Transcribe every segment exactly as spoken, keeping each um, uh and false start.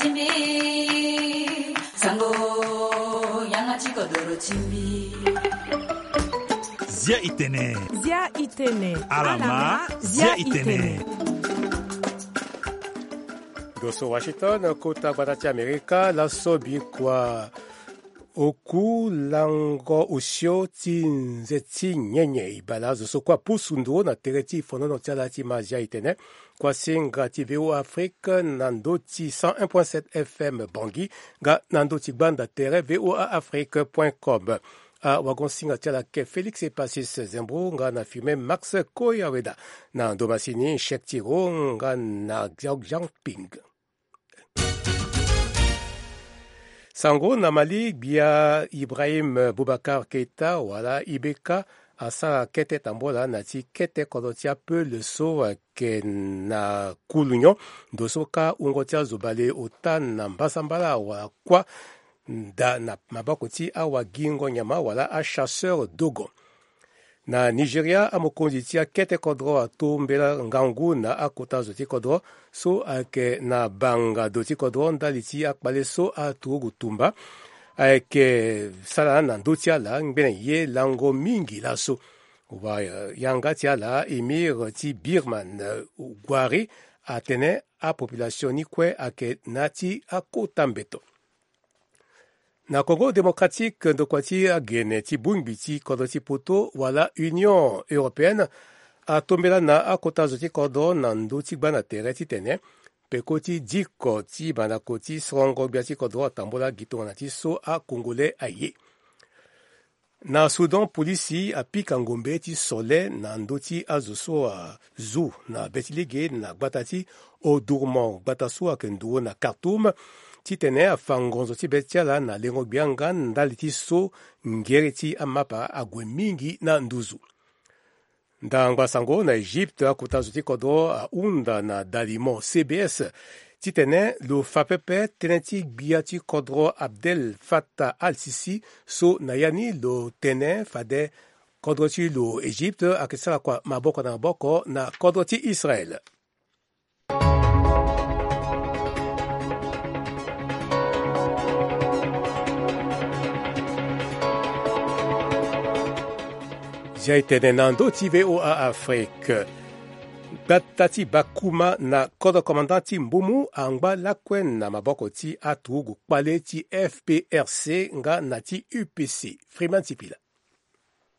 Timbi, sango, yanga ti kodoro timbi. Zia itene. Zia itene. Alama, zia itene. Ndo so Washington, kota gbata ti Amerika, laso bikua oku lango osio ti nze ti nyenye e bale azo so kue apusu nduru na tere ti fonono ti ala ti ma Zia itene. Kuasinga ti V O A Afrique na ndö ti cent un point sept F M Bangui, nga na ndö ti gbanda tere V O A Afrique point com. Awagon-singa ti ala ayeke Félix Epasis Zembro nga na Firmin Max Koyaweda. Na ndo masini Chek Tiro nga na Xiao Jiangping. Sango na Mali, gbia Ibrahim Boubacar Keita wala I B K asara kete tambola na ti kete kodro ti apeul so ayeke na Koulounion, ndo so kâ wungo ti azo bale ota na mbasambala wala kuâ nda na maboko ti awagingo nyama wala achasseur dogon. Na Nigeria, amokonzi ti akete kodro atombela ngangu na akota zo ti kodro so ayeke na banga do ti kodro ndali ti akpale so aturugu tumba ayeke sara na ndö ti ala ngbene ye lango mingi laso. Wa, eh, yanga ti ala, émir ti Birman, eh, Gwari, atene apopulation ni kue ayeke na ya ti akota mbeto. Na Congo Démocratique, ndokua ti agene ti bongbi ti kodro ti poto wala Union Européenne atombela na akota zo ti kodro na ndö ti gbanda tere titene peko ti diko ti mandako ti sorongo gbia ti kodro atambola gi tongana ti so a-Congolais aye. Na Soudan, polisi apika ngombe ti sole na ndö ti azo so azu na be ti lege na gbata ti Omdurman, gbata so ayeke nduru na Khartoum, titene afa ngonzo ti be ti ala na lengo-gbia nga ndali ti so ngere ti amapa ague mingi na nduzu. Ndangba sango na Egypte, akota zo ti kodro ahunda na dalimo C B S titene lo fa pepe tënë ti gbia ti kodro Abdel Fattah al-Sisi, so na ya ni lo tene fade kodro ti lo Egypte ayeke sara kua maboko na maboko na kodro ti Israel. Zia e tene na ndö ti V O A Afrique. Gbata ti Bakuma na kodro commandant ti Mboumoun angba lakue na maboko ti aturugu kpale ti F P R C nga na ti U P C. Freeman Sipila.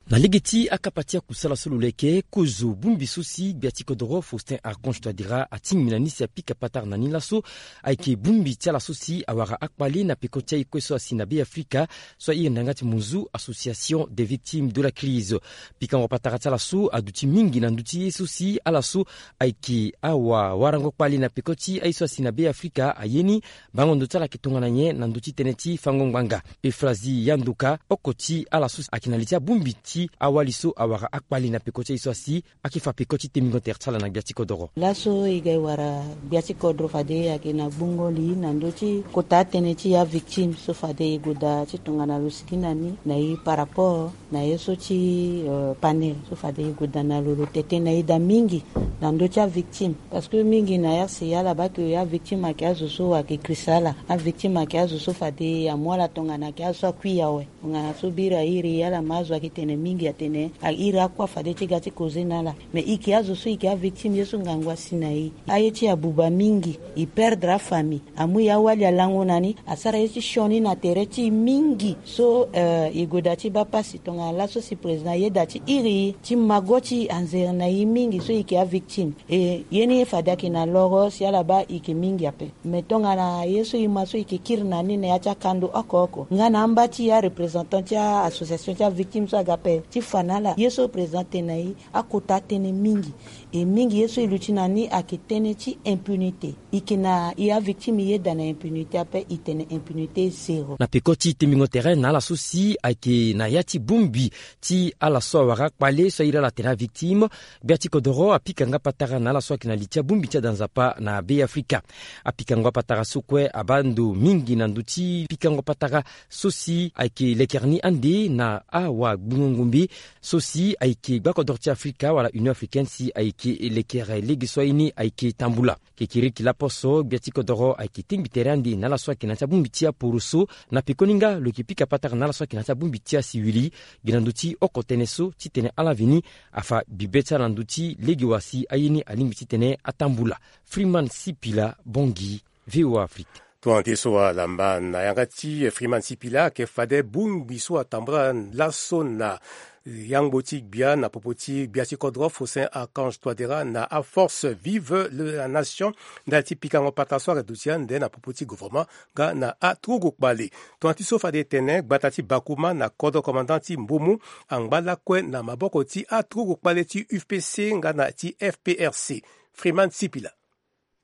Na lege ti akapa ti akusala so lo leke, kozo bongbi so si gbia ti kodoro Faustin Archange Touadéra atingbi na ni si apika patara na ni laso ayeke bongbi ti ala so si awara akpale na peko ti aye kue so asi na Be Afrika, so airi na yanga ti monzu Association des Victimes de la Crise. Pikango patara ti ala so aduti mingi na ndö ti ye so si ala so ayeke awawarango kpale na peko ti aye so asi na Be Afrika aye ni. Bango ndo ti ala ayeke tongana nyen na ndö ti tënë ti fango ngbanga? Euphrasie Yanduka, oko ti ala so ayeke na li ti abongbi ti awali so awara akpale na peko ti aye so asi, ayeke fa peko ti tembingo tere ti ala na gbia ti kodoro. Laso e ga e wara gbia ti kodoro fade ayeke na gbungo li na ndö ti kota atënë ti avictime so fade e goda ti tongana lo sigi na ni na e par rapport na ye so ti, euh, panel so fade e goda na lo, lo tete na e daa mingi na ndö ti avictime. Parce que mingi na R C A ala baa ke avictime ayeke azo so ayeke kris ala. Avictime ayeke azo so fade amu ala tongana ayeke azo so akui awe. Tongana so biri airi ala ma azo ayeke tene mingi atene airi akuâ fade ti ga ti koze na ala. Mais e yeke azo so e yeke avictime ye so ngangu asi na e. Aye ti e abuba mingi, e perdre afamille. Amu e awali alango na ni, asara ye ti sioni na tere ti e mingi. So, euh, e goda ti baa pasi tongana laso si président ayeda ti iri e, ti mago ti e anzere na e mingi so e yeke avictime. E ye ni fade ayeke na loro si ala baa e yeke mingi ape. Mais tongana ye so e ma so e yeke kiri na ni na ya ti akando oko oko nga na amba ti areprésentant ti a-association ti avictime so aga ape ti fa na ala ye so président atene na e, akota atënë mingi. E mingi ye so e luti na ni ayeke tënë ti impunité. E yeke na e avictime e yeda na impunité ape, e tene impunité zéro. Na peko ti tembingo tere na ala so si ayeke na ya ti bongbi ti ala so awara akpale so airi ala atene avictime, gbia ti kodoro apika nga patara na ala so ayeke na li ti abongbi ti ada nzapa na Be Afrika. Apika nga patara so kue abaa ndo mingi na ndö ti pikango patara so si ayeke lekere ni ande na awagbungo Ngombe so si ayeke gbakodoro ti Afrika wala Union Africaine si ayeke lekere lege so aye ni ayeke tambula. Kekereke lapo so gbia ti kodoro ayeke tengbi tere ande na ala so ayeke na ya ti abongbi ti aporoso. Na pekoni nga lo yeke pika patara na ala so ayeke na ya ti abongbi ti asiwili gi na ndö ti oko tënë so titene ala veni afa bibe ti ala na ndö ti lege wa si aye ni alingbi titene atambula. Freeman Sipila, Bangui, V O A Afrique. Tongana ti so alamba na yanga ti Freeman Sipila ayeke fade bongbi so atambula laso na yangbo ti gbia na popo ti gbia ti kodro Faustin Archange Touadéra na aforce Vive le- la Nation ndali ti pikango patara so ayeke duti ande na popo ti gouvernement nga na aturugu kpale. Tongana ti so fade e tene gbata ti Bakouma na kodro commandant ti Mbomou angba lakue na maboko ti aturugu kpale ti U F P C nga na ti F P R C. Freeman Sipila.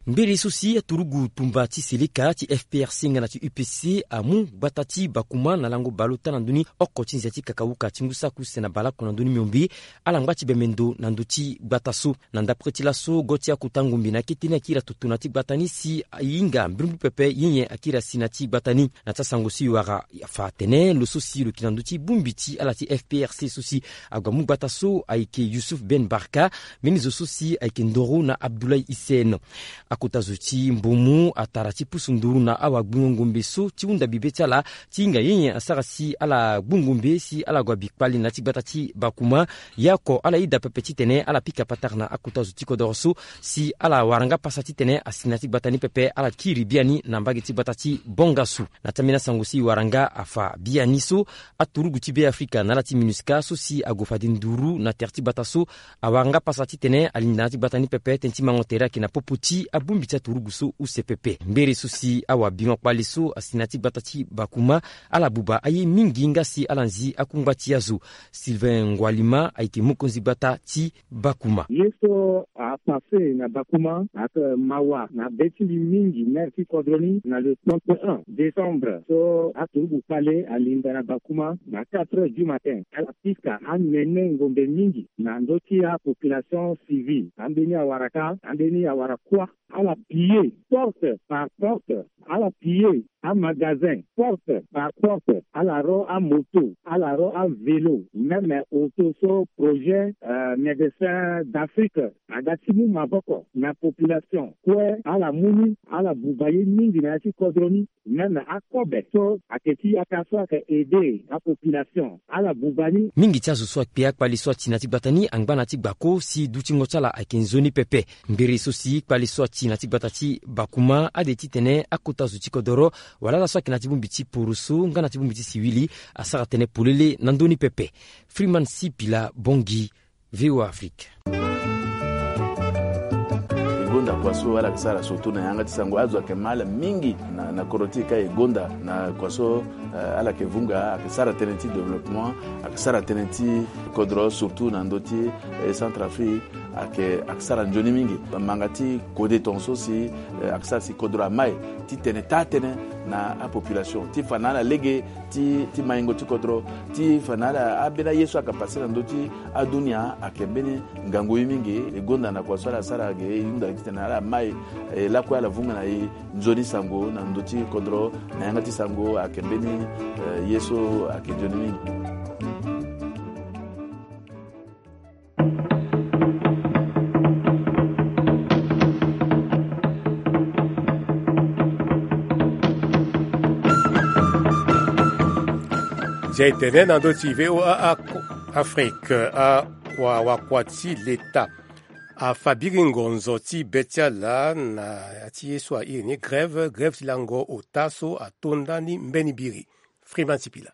Mberi so si aturugu tumba ti seleka ti F P R C nga na ti U P C amu gbata ti Bakouma na lango bale ota na ndö ni oko ti nzia ti kakawuka ti ngu saki use na baleoko na ndö ni miombe. Ala ngba ti bembe ndo na ndö ti gbata so. Na ndapre ti laso go ti akota ngombe na akete ni akiri atutu na ti gbata ni si ahinga mbirimbiri pepe yenyen akiri asi na ti gbata ni. Na ti asango so e wara afa atene lo so si lo yeke na ndö ti bongbi ti ala ti F P R C so si ague amu gbata so ayeke Youssouf Ben Barka. Mbeni zo so si ayeke ndoro na Abdoulaye Hissène. Akota zo ti Mbomou atara ti pusu nduru na awagbingo ngombe so ti hunda bibe ti ala ti hinga yenyen asara si ala gbu ngombe si ala gue abi kpale na ya ti gbata ti Bakouma. Ye oko ala yeda pepe titene ala pika patara na akota zo ti kodoro so si ala wara nga pasa titene asi na ya ti gbata ni pepe ala kiri biani na mbage ti gbata ti Bongassou. Na ti ambeni asango si e wara nga afa biani so aturugu ti Beafrika na ala ti MINUSCA so si ague fade nduru na tere ti gbata so awara nga pasa titene alinda na ya ti gbata ni pepe tënë ti mango tere ayeke na popo ti abongbi ti aturugu so use pepe. Mbere so si awabingo kpale so asi na ya ti gbata ti Bakouma ala buba aye mingi nga si ala nzi akungba ti azo. Sylvain Ngwalima ayeke mokonzi gbata ti Bakouma. Ye so apasse na Bakouma ayeke mawa na be ti mbi mingi, maire ti kodro ni, na le trente et un décembre so aturugu kpale alinda na Bakouma na quatre heures du matin, ala pika anene ngombe mingi na ndö ti apopulation civile. Ambeni awara ka, ambeni awara kuâ. Ala piller porte par porte, ala piller amagasin porte par porte, ala ro amoto, ala ro avélo, même auto so projet, euh, Médecins d'Afrique aga ti mu maboko na population kue. Ala mu ni, ala buba ye mingi na ya ti kodro ni. Même akobe so ayeke ti yaka so ayeke aider apopulation, ala buba ni. Mingi ti azo so akpe akpale so ati na ya ti gbata ni angba na ya ti gbako si dutingo ti ala ayeke nzoni pepe. Mbere so si kpale so ati na ya ti gbata ti Bakouma ade titene akota zo ti kodoro wala ala so ayeke na ya ti bongbi ti poroso nga na ya ti bongbi ti siwili asara tënë polele na ndö ni pepe. Freeman Sipila, Bangui, V O A Afrique. E gonda kua so ala yeke sara surtout na yanga ti sango, azo ayeke ma ala mingi na, na kodro ti e ka. E gonda na kua so, eh, ala yeke vunga, ayeke sara tënë ti développement, ayeke sara tënë ti kodro surtout na ndö ti, eh, Centrafrique. Ayeke, ayeke sara nzoni mingi. Manga ti kode tongaso si, eh, ayeke sara si kodro amai titene taa tënë na apopulation ti fa na ala lege ti, ti maingo ti kodro, ti fa na ala ambeni aye so ayeke passe na ndö ti adunia. Ayeke mbeni ngangu ye mingi. E gonda na kua so ala sara ge, e hunda titene ala mai, eh, lakue ala vunga na e nzoni sango na ndö ti kodro na yanga ti sango. Ayeke mbeni, eh, ye so ayeke nzoni mingi. Nzia e tene na ndö ti V O A Ak-, Afrique, akua, wakua ti leta afa biri ngonzo ti be ti ala na ya ti ye so a iri ni grève, grève ti lango ota so atonda ni mbeni biri. Freeman Sipila.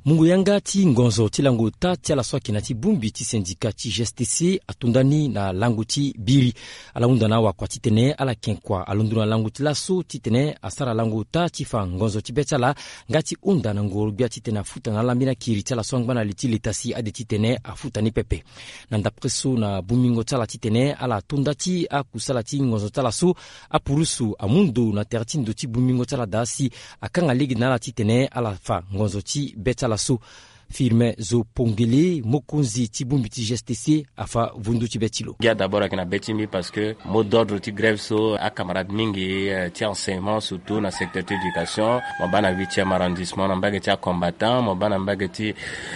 Mungo yanga ti ngonzo ti lango ota ti ala so ayeke na ya ti bongbi ti syndicat ti G S T C atonda ni na lango ti biri. Ala hunda na awakua titene ala yeke kua alondo na lango ti laso titene asara lango ota ti fa ngonzo ti be ti ala nga ti hunda na ngoro-gbia titene afuta na ala mbeni akiri ti ala so angba na li ti leta si ade titene afuta ni pepe. Na ndapre so na bongbingo ti ala titene ala tonda ti akusala ti ngonzo ti ala so, apurusu amu ndo na tere ti ndo ti bongbingo ti ala daa si akanga lege na ala titene ala fa ngonzo ti be ti ala so. Firmin Zo Pongele, mokonzi ti bongbi ti G S T C, afa vundu ti be ti lo. Gi a d'abord ayeke na be ti mbi parce que mot d'ordre ti grève so acamarade mingi, eh, ti enseignement, surtout na secteur ti éducation, mo baa na huitième arrondissement na mbage ti acombattant, mo baa na mbage ti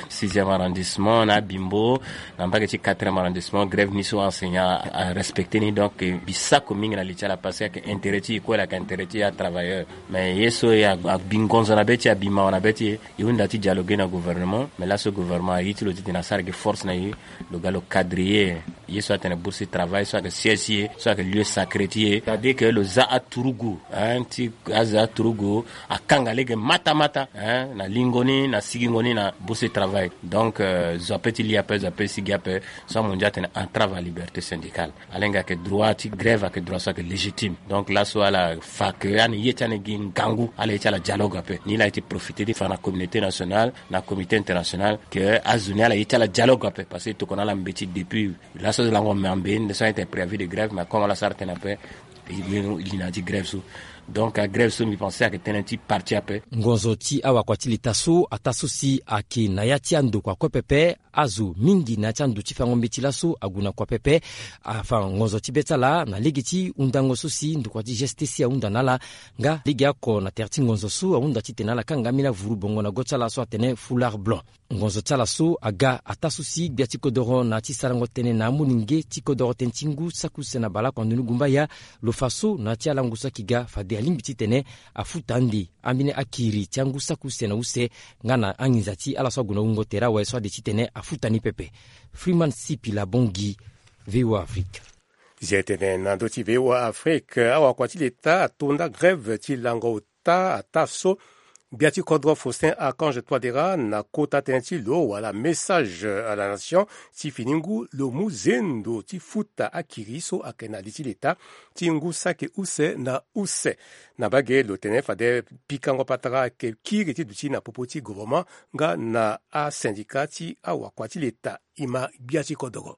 sixième arrondissement na abimbo, na mbage ti quatrième arrondissement, grève ni so enseignant arespecte ni. Donc, eh, mbi sako mingi na li ti ala parce que ayeke intérêt ti e kue, ayeke intérêt ti atravailleur. Mais ye so e abi ngonzo na be ti e, abi mawa na be ti e, e hunda ti dialoguer na gouvernement. Mais laso gouvernement aye ti lo titene asara gi force na e, lo ga lo cadrer ye. Ye so atene bourse ti travail, so ayeke siège ti e, so ayeke lieu sacré ti e, c'est-à-dire que lo za aturugu, hein, ti aza aturugu akanga lege mata mata, hein, na lingo ni, na sigingo ni na bourse ti travail. Donc, euh, zo ape ti li ape, zo ape ti sigi ape, so amondia atene entrave à liberté syndicale. Ala hinga ayeke droit ti grève, ayeke droit so ayeke légitime. Donc laso ala fa ke ani ye ti ani gi ngangu, ala ye ti ala dialogue ape. Ni laa e ti profiter ti fa na communauté nationale, na comité international, ke azo ni ala ye ti ala dialogue ape, parce que e tokua na ala mbeti depuis laso lango me ambe nde so ayeke préavis de grève, mais comme ala sara tënë ape, e li na ya ti grève so. Donc agrève so mbi pense ayeke tënë ti parti ape. Ngonzo ti awakua ti leta so ataa so si ayeke na ya ti andokua kue pepe. Azo mingi na ya ti ando ti fango mbeti laso ague na kua pepe. Afa ngonzo ti be ti ala na lege ti hundango so si ndokua ti G S T C ahunda na ala. Nga lege oko na tere ti ngonzo so ahunda titene ala kanga ambeni avuru bongo na go ti ala so atene foulard blanc. Ngonzo ti ala so aga ataa so si gbia ti kodoro na ya ti sarango tënë na amolenge ti kodoro tënë ti ngu saki use na baleoko na ndoni gumbaya, lo fa so na ya ti alango so ayeke ga fade alingbi titene afuta ande ambeni akiri ti angu saki use na use, nga na anginza ti ala so ague na wungo tere awe so ade titene afuta ni pepe. Freeman Sipila Bongi, V O A Afrique. Zi tene na ndö ti V O A Afrique, awakua ti leta atonda grève ti lango ota ataa so gbia ti kodro Faustin Archange Touadéra na kota tënë ti lo wala message à la nation ti fini ngu lo mu zendo ti futa akiri so ayeke na li ti leta ti ngu saki use na use. Na mbage lo tene fade pikango patara ayeke kiri ti duti na popo ti gouvernement nga na asyndicat ti awakua ti leta. E ma gbia ti kodoro.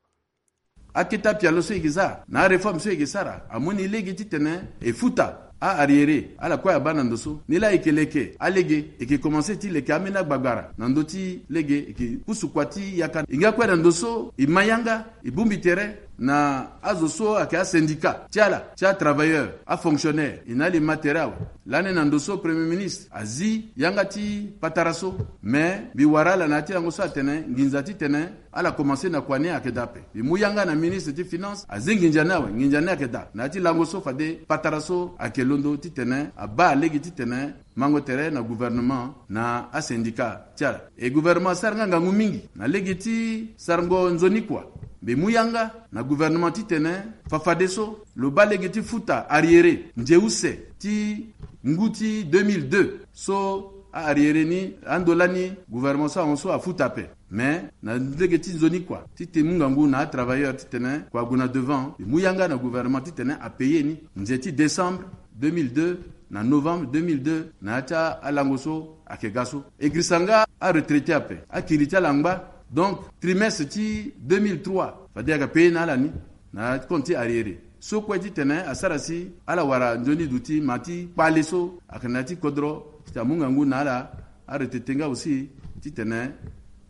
Akete apialo so e yeke za na aréforme so e yeke sara amu ni lege titene e futa a-arriéré ala kue abaa na ndo so. Ni laa e yeke leke alege, e yeke komanse ti leke ambeni agbagbara na ndö ti lege e yeke pusu kua ti yaka. E nga kue na ndo so e ma yanga, e bongbi tere na azo so ayeke asyndicat ti ala ti atravailleur, afonctionnaire. E na ala e ma tere awe. Lani na ndo so Premier ministre azi yanga ti patara so. Me mbi wara ala na ya ti lango so atene nginza titene ala komanse na kua ni ayeke daa ape. Mbi mu yanga na ministre ti finance azi nginza ni awe, nginza ni ayeke daa na ya ti lango so fade patara so ayeke londo titene abaa lege titene mango tere na gouvernement na asyndicat ti ala. E gouvernement asara nga ngangu mingi na lege ti sarango nzoni kua. Mbi mu yanga na gouvernement titene fafadeso lo baa lege ti futa arriéré nze use ti ngu ti deux mille deux so a-arriéré ni ando lani gouvernement so ahon so afuta ape. Mais na lege ti nzoni kua ti te mu ngangu na atravailleur titene kua ague na devant. Mbi mu yanga na gouvernement titene apaye ni nze ti décembre deux mille deux na novembre deux mille deux na ya ti alango so ayeke ga so. E girisa nga aretraité ape, akiri ti ala angba. Donc trimestre ti deux mille trois fade ayeke paye na ala ni na compte ti arriéré so kue titene asara si ala wara nzoni duti ma ti kpale so ayeke na ya ti kodro titene amu ngangu na ala aretraité nga aussi titene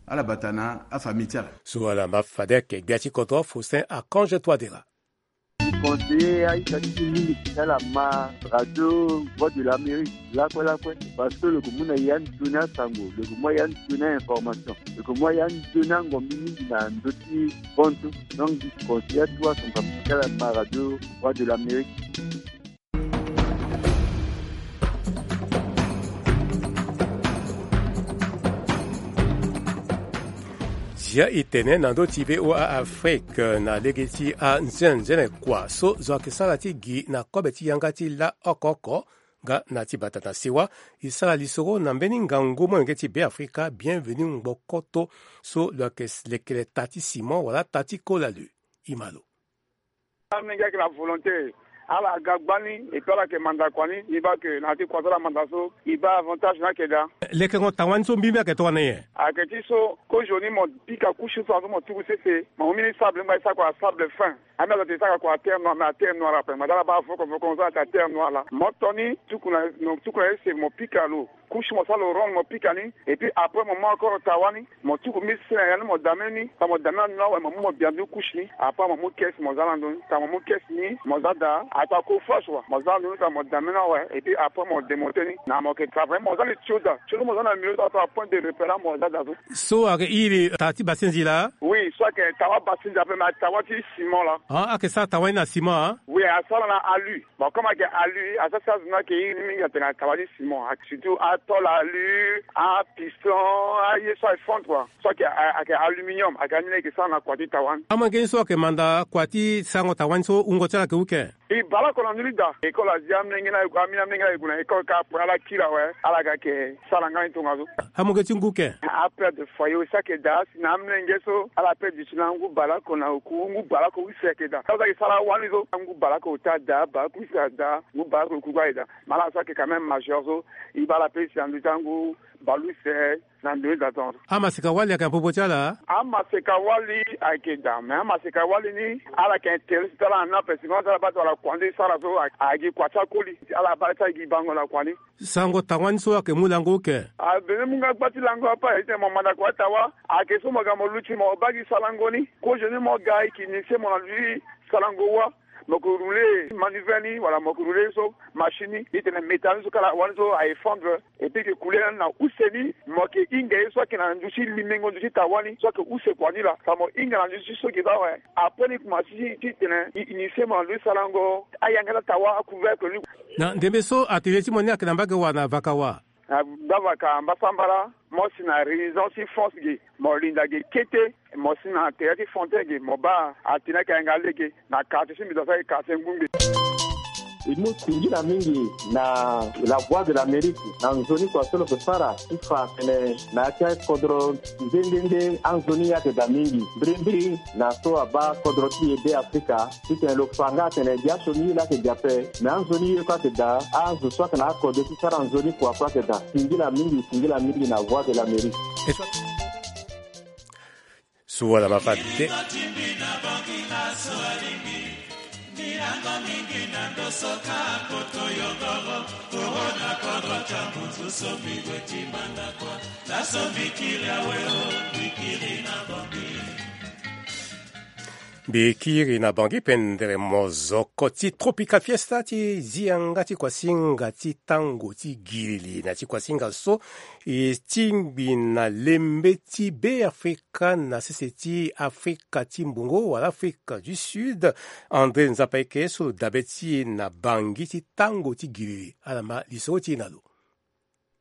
ala bata na afamille ti ala. So ala ma fade ayeke gbia ti kodro Faustin Archange Touadéra. Conseiller aita ti mingi ti ala ma radio Voix de l'Amérique lakue lakue, parce que lo yeke mu na ya nzoni asango, lo yeke mu ya nzoni information, lo yeke mu ya nzoni angombi mingi na ndö ti bonso. Donc mbi conseiller atu asongam ti ala ma radio Voix de l'Amérique. Zia e tene na ndö ti V O A Afrique na lege ti anzenenzene kua so zo ayeke sara ti gi na kobe ti yanga ti la oko oko. Nga na ti bata na sewa e sara lisoro na mbeni ngangu molenge ti Beafrika Bienvenu Ngbokoto so lo yeke lekere ta ti ciment wala ta ti kola lo. E ma lo. Amolenge ayeke na volonté, ala ga gbani, et puis ala yeke manda kua ni. Mbi baa ke na ya ti kua so ala manda so e baa avantage ni ayeke daa. Lekengo tangua ni so mbimbi ayeke tongana nyen? Ayeke ti so kozo ni mo pika couche so azo mo tuku sese, mo mu mbeni sable ngba e sara kua sable fin. Ambi azo ate e sara kua terre noire, mais aterre noire ape, ngbada ala baa voko voko so ayeke aterre noire laa. Mo to ni tuku na, tuku na ese mo pika lo. Couche mo sara lo ronde mo pika ni. Et puis après mo mu encore tawa ni, mo tuku mi sene ya ni mo dame ni. Tara mo dame na ndo ni awe, mo mu mo bia ndu couche ni. Après mo mu caisse mo za na ndo ni. Tara mo mu caisse ni mo za daa. Atara ko fâche wa mo za na ndo ni, tara mo dame ni awe. Et puis après mo démonter ni. Na mo yeke travailler, mo za li tio daa. Tio so mo za na milieu so, atara point de repère mo za daa so. So ayeke iri tara ti basinzi laa? Oui, so ayeke tawa basinzi ape, mais tawa ti ciment laa. Ah, ayeke sara tawa ni na ciment, ah? Oui, asara na alu. Bon, comme ayeke alu, asara si azo ni ayeke iri ni mingi atene tawa ti ciment. Surtout atôle alu, apiston, aye so aye fondre quoi. So ayeke, ayeke aluminium, ayeke ani ni ayeke sara na kua ti tawa ni. Amolenge ni so ayeke manda kua ti sarango tawa ni so, wungo ti ala ayeke uke? E bale oko na ndö ni daa. École azi amolenge ni aye gue, amolenge ni aye gue na école kâ, après ala kiri awe, ala ga yeke sara nga ni tongaso. Amolenge ti ngu ke? Apère de foyer aussi ayeke daa, si na amolenge so ala père duti na ngu bale oko na oku, ngu bale oko use ayeke daa. Ala za yeke sara wani so, ngu bale oko ota daa, bale oko use adaa, ngu bale oko oku kue aye daa. Mais ala so ayeke quand même majeur so, e bale ape si na ndö ti angu bale use. Na ndo ni daa tongaso. Amaseka wali ayeke na popo ti ala? Amaseka wali ayeke daa, mais amaseka wali ni ala yeke intérêt ti ala na ape, si mo ala baa ti wala kua ni sara so, a, ayeke gi kua ti akoli, ala baa ti ayeke gi bango na kua ni. Sarango tawa ni so ayeke mu lango uke? Abene mu nga gba ti lango ape, aye ti tene mo manda kua ti tawa, ayeke so mo ga mo luti mo baa gi sarango ni, kozo ni mo ga e yeke initier mo na ndö ti sarango wa. Mo yeke rouler manivelle ni wala mo yeke rouler so machine ni, e tene métal ni so kala wani so aye fondre. Et puis e yeke coulé na use ni, mo yeke hinga ye so ayeke na ndö ti limengo ndö ti tawa ni so ayeke use kua ni laa. Tara mo hinga na ndö ti so ge baa awe. Après ni kuma si ti tene e initier mo na ndö ti sarango ayanga ti atawa, acouvercle ni. Na ndembe so atelier ti mo ni ayeke na mbage wa na vaka wa? Na gbavaka mbasambala, mo si na résidence ti France ge, mo linda ge kete, mo si na tere ti Fontaine ge, mo baa atene ayeke yanga lege na quartier ti mbi, donc ayeke quartier Ngungbe. E mu singila mingi na La Voix de l'Amérique na nzoni kua so lo yeke sara ti fa atene na ya ti akodro nde nde nde anzoni ayeke daa mingi mbirimbiri na so abaa kodro ti e Be Afrika. Titene lo fa nga atene gi aso ni ye laa ayeke gi ape, me anzoni ye kue ayeke daa, azo so ayeke na akodro ti sara nzoni kua kue ayeke daa. Singila mingi, singila mingi na Voix de l'Amérique. Suala mafate. Mbi kiri na Bangui pendere mozoko ti Tropical Fiesta ti zi yanga ti kuasinga ti tango ti gilili na ti kuasinga so e tingbi na lembe ti Be Afrika na sese ti Afrika ti mbongo wala Afrika du Sud. André Nzapa Eke so lo dabe ti e na Bangui ti tango ti gilili, ala ma lisoro ti e na lo.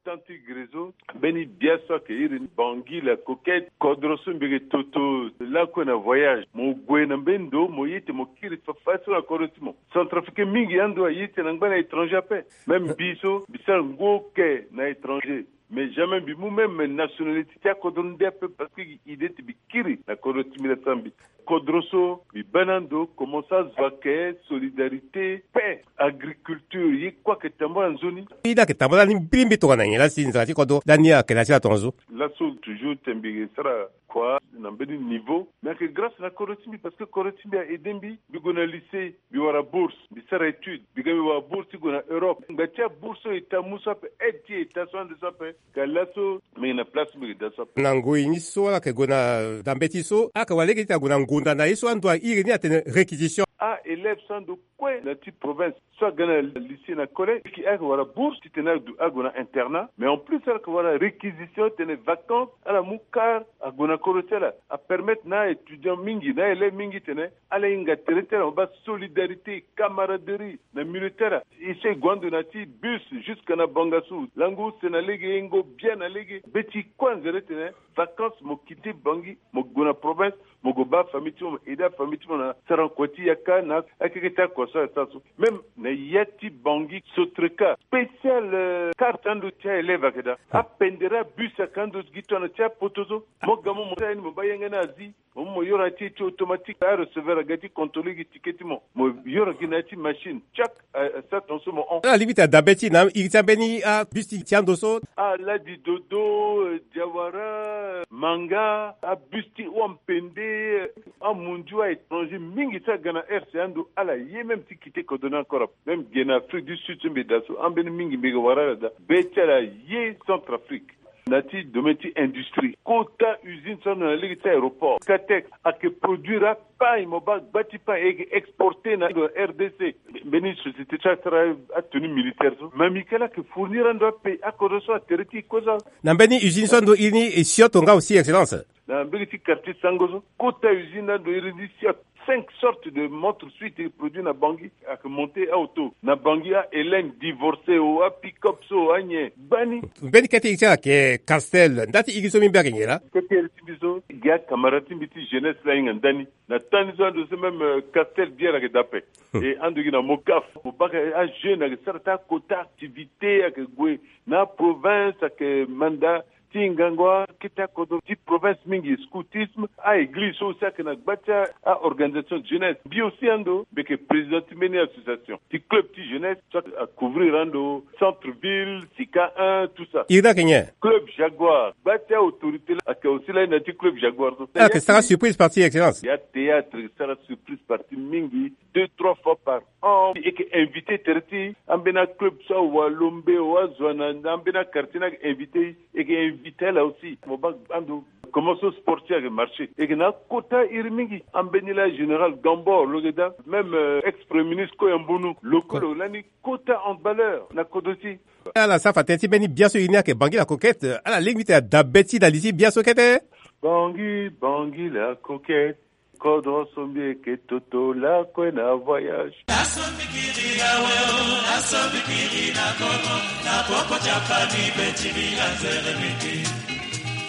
Tant ti gre so, mbeni bia so ayeke iri ni Bangui la Coquette, kodro so mbi yeke toto lakue na voyage. Mo gue na mbeni ndo, mo ye ti mo kiri fafadeso na kodro ti mo. Centrafricain mingi ando aye ti na ngba na étranger ape. Même mbi so, mbi sara ngu oke na étranger. Mais jamais mbi mu même nationalité ti akodro nde ape parce que idée ti mbi kiri na kodro ti mbi la sara mbi. Kodro so mbi baa na ando, commence azo ayeke solidarité, paix, agriculture, ye kue ayeke tambula nzoni. Ye ni ayeke tambula ni mbirimbiri tongana nyen laa si nzara ti kodro lani ayeke na ya ti la tongaso? Laso toujours ti mbi sara kua na mbeni niveau, mais ayeke grâce na kodro ti mbi parce que kodro ti mbi a aidé mbi, mbi gue na lycée, mbi wara bourse, mbi sara étude, mbi ga mbi wara bourse ti gue na Europe. Ngba ti abourse so e ta mu so ape, aide ti e ta so ande so ape. Ka laso mbi yeke na place mbi yeke daa so ape. Na ngoi ni so ala yeke gue na dambe ti so, ala yeke wara lege ti ague na ngonda na ye so ando airi ni atene réquisition. A-élève so ando kue na ti province so aga na lycée na collège, ayeke wara bourse titene ague na internat, mais en plus ala yeke wara réquisition titene vacances ala mu car ague na kodro ti ala. Apermettre na a-étudiant mingi, na a-élève mingi titene ala hinga tere ti ala, mo baa solidarité, camaraderie na milieu ti ala. E so e gue ando na ti bus jusque na Bangassou, lango use na lege, yengo bia na lege. Be ti kue anzere titene vacances mo quitté Bangui, mo gue na province, mo gue baa famille ti mo, mo aidé afamille ti mo na sara kua ti yaka na akeke ti akua so ala sara so. Même na ya ti Bangui, Sotreka, spécial, euh, carte ando ti a-élève ayeke daa. Apendere abus ayeke ando gi tongana ti apoto so. Mo ga mo, mo sara ye ni, mo baa yanga ni azi. Mo yoro ya ti e ti automatique, areceveur aga ti contrôler gi ticket ti mo. Mo yoro gi na ya ti machine, chaque, asara tongaso mo hon. Ala lingbi ti adabe ti na iri ti ambeni abus ti ando so. Ala di dodo, diawara, manga, abus ti hon, mpende, amundu, aétranger mingi ti aga na R C A ndo, ala ye même ti kite kodro ni encore. Même ge na Afrique du Sud so mbi daa so, ambeni mingi mbi yeke wara ala daa. Be ti ala ye Centrafrique. Na ti domaine ti industrie, kota usine so ando na lege ti aéroport Katex ayeke produire apagne, mo baa gba ti pagne e yeke exporter na ndo na R D C. Mbeni société ti asara atenue militaire so, Mamikala ayeke fournir ando apagne, akodro so atere ti e kozo. Na mbeni usine so ando iri ni e sioto nga aussi, excellence. Na mbege ti quartier Sango so, kota usine ando iri ni sioto. Cinq sortes de montres suite produit na Bangui ayeke monter auto na Bangui, a Hélène divorcé o, a pick-up so, anyen gbani. Mbeni kete iri ti ala ayeke Castel, nda ti iri so mbi mbi ayeke nyen laa? Kete iri ti mbi so, gi akamara ti mbi ti jeunesse laa ahinga ndani. Na temps ni so ando so même, euh, Castel bière ayeke daa ape. E ando gi na Mocaf, mo baa ajeune ayeke sara ti akota activité, ayeke gue na province, ayeke manda ti ngangu akete akodro ti province mingi, scoutisme, a-église so aussi ayeke na gba ti a-organisation de jeunesse. Mbi aussi ando mbi yeke président ti mbeni association ti club ti jeunesse so acouvrir ando centre ville, sika un, tout ça. Iri ni ayeke nyen? Club Jaguar. Gba ti autorité laa ayeke aussi lani na ya ti club Jaguar so. Ala yeke sara surprise partie, excellence. Ya théâtre sara surprise partie mingi, deux trois fois par an. E yeke invité tere ti ambeni aclub so, awalombe o, azo ana na ambeni aquartier ni ayeke invité. E yeke invité ala aussi. Mo baa ando comment so sport ti e ayeke marché. E yeke na akota iri mingi. Ambeni laa général Gambor lo yeke daa, même, euh, ex premier ministre Koya Mbunu lo kue lo lani kota handballeur na kodro ti e. Ala sara fa tënë ti mbeni bia so iri ni ayeke Bangui la Coquette. Ala lingbi ti dabe ti na li ti bia so kete. Bangui, Bangui la Coquette. Kodro so mbi yeke toto lakue na voyage. Laso mbi kiri awe o, laso mbi kiri na Congo, na popo ti apani be ti mbi anzere mbi ti.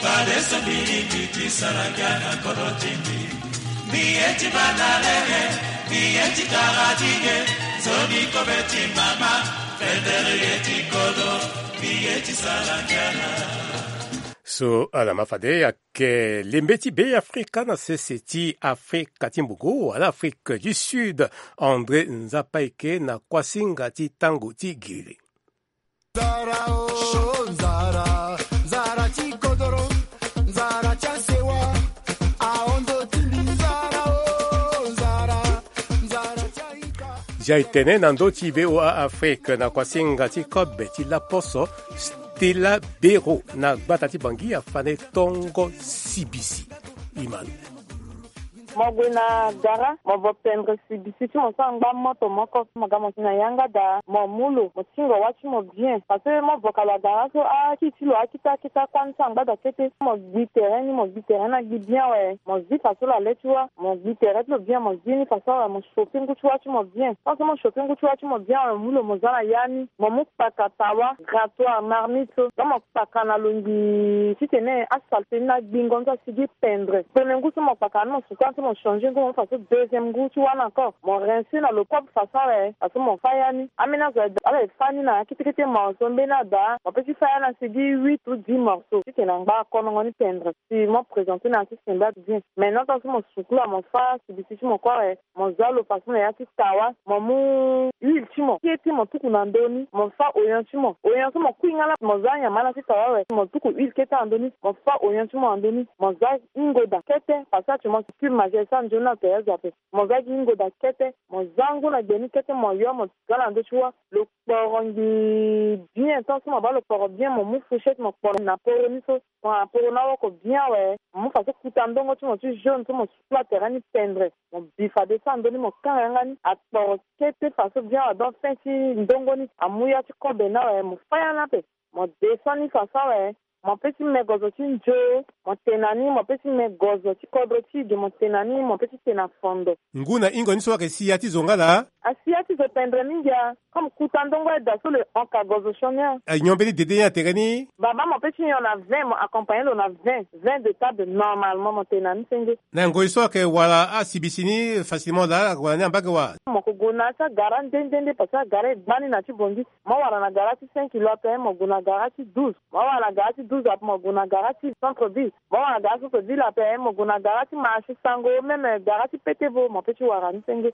Fadeso mbi lingbi ti sara ngia na kodro ti mbi. Mbi ye ti banda lege, mbi ye ti tara ti ge, nzoni kobe ti mama, fendere ye ti kodro, mbi ye ti sara ngia na. So ala ma fade ayeke lembe ti Beafrika na sese ti Afrika ti Mbuku wala Afrique du Sud, André Nzapaike na kuasinga ti tango ti giri. Nzara o, nzara, nzara ti kodoro, nzara ti asewa, ahondo ti mbi nzara o, nzara, nzara ti aita. Zia e tene na ndö ti V O A Afrique na kuasinga ti kobe ti laposo, Stella Bero na gbata ti Bangui afane tongo sibisi. Imanu. Mo gue na gara, mo vo pendre sibisi ti mo so angba moto moko. Mo ga mo si na yanga daa, mo mu lo, mo tingo wâ ti mo bien. Parce que mo vo kala gara so, akiti ti lo akita akita kuâ ni so angba daa kete. Mo gbi tere ni, mo gbi tere ni agbi bien awe. Mo zi faso lo ale ti wâ, mo gbi tere ti lo bien, mo zi ni faso awe, mo chauffer ngu ti wâ ti mo bien. Tant so mo chauffer ngu ti wâ ti mo bien awe, mo mu lo mo za na ya ni. Mo mu kpaka tawa, grattoir, marmite so. Donc mo kpaka na lo ngbii titene asalté ni na gbingo ni so asigi pendre. Premier ngu so mo kpaka ni mo sukula ni so mo changer ngu mo mu faso deuxième ngu ti wâ ni encore. Mo rincer na lo propre façon awe, faso mo fâ ya ni. Ambeni azo ala e fâ ni na akete kete morceau, mbeni adaa mo peut ti fâ ya ni asigi huit ou dix morceaux titene angba akonongo ni pendre. Si mo présenter na ya ti sembe ato bien. Maintenant tant so mo sukula mo fâ sibisi ti mo kue awe, mo za lo faso na ya ti tawa, mo mu huile ti mo kete mo tuku na ndö ni, mo fâ oignon ti mo. Oignon so mo kui nga laa, mo za nyama na ti tawa awe, mo tuku huile kete na ndö ni, mo fâ oignon ti mo na ndö ni, mo za hingo daa kete, parce que actuellement ti cube magère so anzoni na tere azo ape. Mo za gi hingo daa kete, mo za ngu na gbe ni kete, mo yo mo za na ndö ti wâ. Lo kporo ngbii bien, tant so mo baa lo kporo bien, mo mu fourchette mo kporo na poro ni so. Mo na poro ni awoko bien awe, mo mu faso kuta ndongo ti mo ti jaune so mo sukula tere ni pendre. Mo bi fade so na ndö ni mo kanga yanga ni akporo kete faso bien awe, donc fin ti ndongo ni amu ya ti kobe ni awe, mo fâ ya ni ape. Mo descend ni faso awe, mo peut ti me gozo ti nzo, mo tena ni, mo peut ti me gozo ti kodro ti ge, mo tena ni, mo peut ti tena fondo. Ngu na hingo ni so ayeke si ya ti zo nga laa? Asi ya ti zo pendre mingi a. Comme kuta ndongo aye daa so lo hon ka gozo sioni a. Nyon mbeni dede ni atere ni? Baba mo peut ti nyon na vingt, mo accompagner lo na vingt, vingt de table normalement, mo tena ni senge. Na ngoi so ayeke wara asibisi ni facilement laa, ala yeke wara ni na mbage wa? Mo yeke gue na ya ti agara nde nde nde, parce que agara e gba ni na ti Bangui. Mo wara na gara ti cinq kilos ape, mo gue na gara ti douze. Mo wara na gara ti douze ape, mo gue na gara ti centre ville. Mo wara gara so ko dila pe mo gue na gara ti ma si sango, même gara ti pete vo mo pe ti wara ni senge.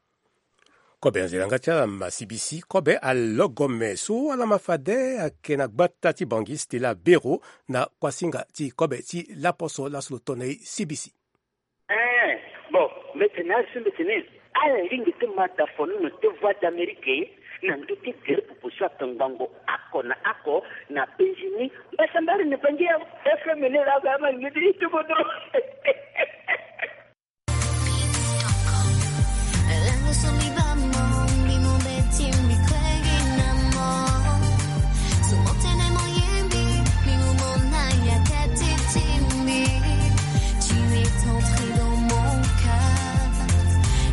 Kobe anzela nga ti ala ma sibisi kobe alogome so ala ma fade ake na gbata ti bangi Stella Bero na kuasinga ti kobe ti laposo laso lo tona e sibisi. Eh, bon, mbetene asi mbetene ala lingbi ti ma da fonono ti Voix d'Amérique na ndö ti gere popo so ake ngbangbo oko na oko na penzi ni. Mbasambari ni pangi ya F M ni la ga ma lingbi ti ti bodo. Tu es entré dans mon cœur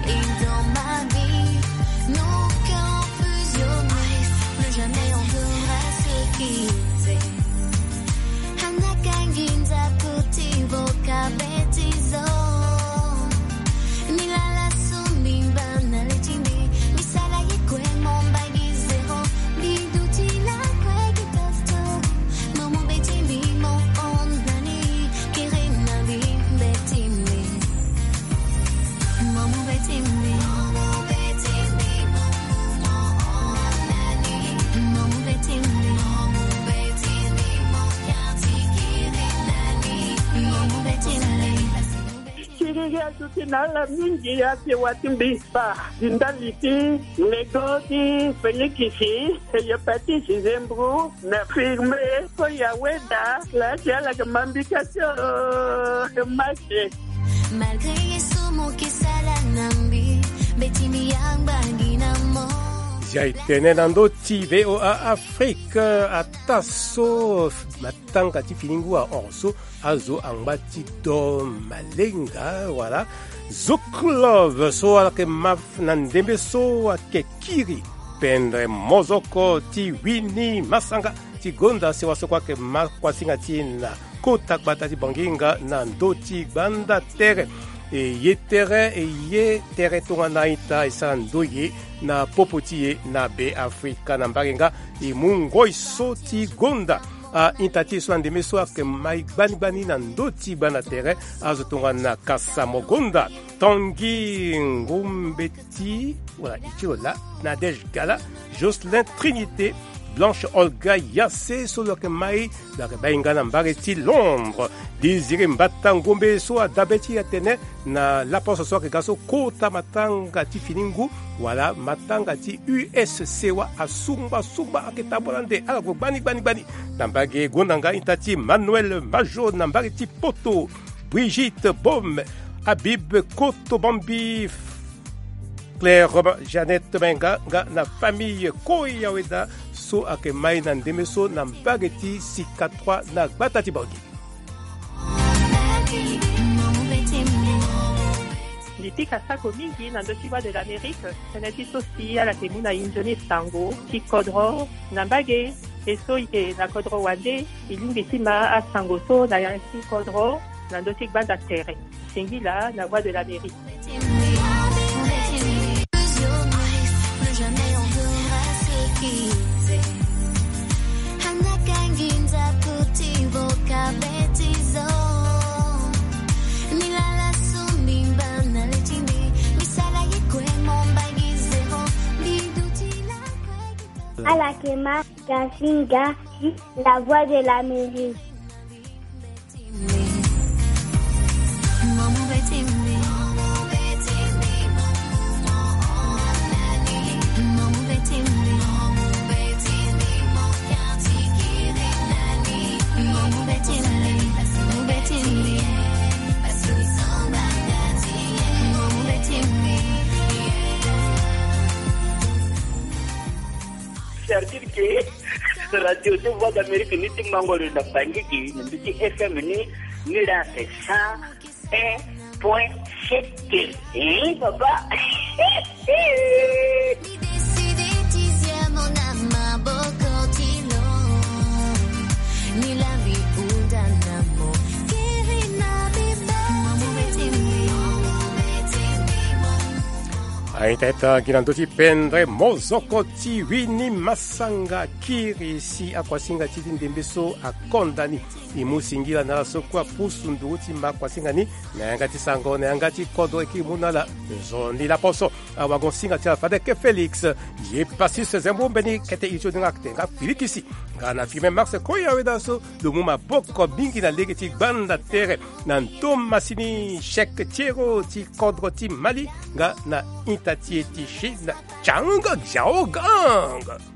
et dans ma vie. Nos cœurs fusionnés, plus jamais on devra se quitter. Anakangi nzatu ti boka betizo. Milala so mbi ngba na le ti mbi, mbi sala ye kue mo mbagi zéro. Mbi duti lakue gi tosto. Mo mu beti mbi mo hon na ni, kiri na mbi beti mbi. Mo mu beti mbi. Mo mu beti mbi. Mo mu beti mbi. Mo mu beti mbi. Mo mu beti mbi. Mo kiati kiri na ni. Mo mu beti mbi. Kiriri aduti na ala mingi, ape wa ti mbi pa di ndali ti lego ti Felikisi, eyo pa ti Zizembru na firme. Ko ya weda la ti ala ke mambika ti o mache. Malgré ye so mo ke sala na mbi, mbeti mbi angbangi na mo. Zia e tene na ndö ti V O A Afrique, ataa so matanga ti fini ngu ahon so azo angba ti do malenga wala Zouk Love so ala ke ma na ndembe so ake kiri pendre mozoko ti wini masanga ti gonda sewa so kue ake ma kuasinga ti e na kota gbata ti Bangi nga na ndö ti gbanda tere. E ye tere, e ye tere tongana ita e sara ndoye na popo ti e na Be Afrika na mbage nga e mu ngoi so ti gonda. A ita ti e so na ndembe so ake mai gbani gbani na ndö ti gbanda tere azo tongana Kasa Mogonda, Tanguy Ngumbeti, wala e ti lo laa, Nadège Gala, Jocelyn Trinité, Blanche Olga Yassé so lo yeke mai, lo yeke bai nga na mbage ti Londres. Désiré Mbata Ngombe so adabe ti e atene na laposo so ayeke ga so kota matanga ti fini ngu wala matanga ti U S C wa asungba sungba ayeke tambola nde ala gue gbani gbani gbani. Na mbage gonda nga ita ti Manuel Majo na mbage ti Poto, Brigitte Baume, Habib Kotobambi, Claire Jeannette Menga nga na famille Koya Weda so ayeke mai na ndembe so na mbage ti Sika trois na gbata ti Bangi. Mbi pika sako mingi na ndö ti Voix de l'Amérique, tënë ti so si ala yeke mu na e nzoni sango ti kodro na mbage. E so e yeke na kodro wande, e lingbi ti ma asango so na ya ti kodro na ndö ti gbanda tere. Singila na Voix de l'Amérique. Ala yeke ma Gasinga, la Voix de l'Amérique. C'est-à-dire que radio ti Voix d'Amérique ni ti mango lo na Bangui gi na mbi ti F M ni, ni la c'est cent un point sept. Eh, papa. Aita ita gi na ndö ti pendre mozoko ti wini masanga kiri si akuasinga ti ti ndembe so akonda ni. E mu singila na ala so kue apusu nduru ti ma akuasinga ni na yanga ti sango na yanga ti kodro e kiri mu na ala. Nzoni laposo awago singa ti ala fade ke Félix. Ye pasi se zembo mbeni kete iri ti odinga akete nga filikisi. Nga na firme Max Koya weda so lo mu maboko mingi na lege ti gbanda tere na ndo masini chèque tiero ti kodro ti Mali nga na ita ti e ti Chine. Chang Xiaogang.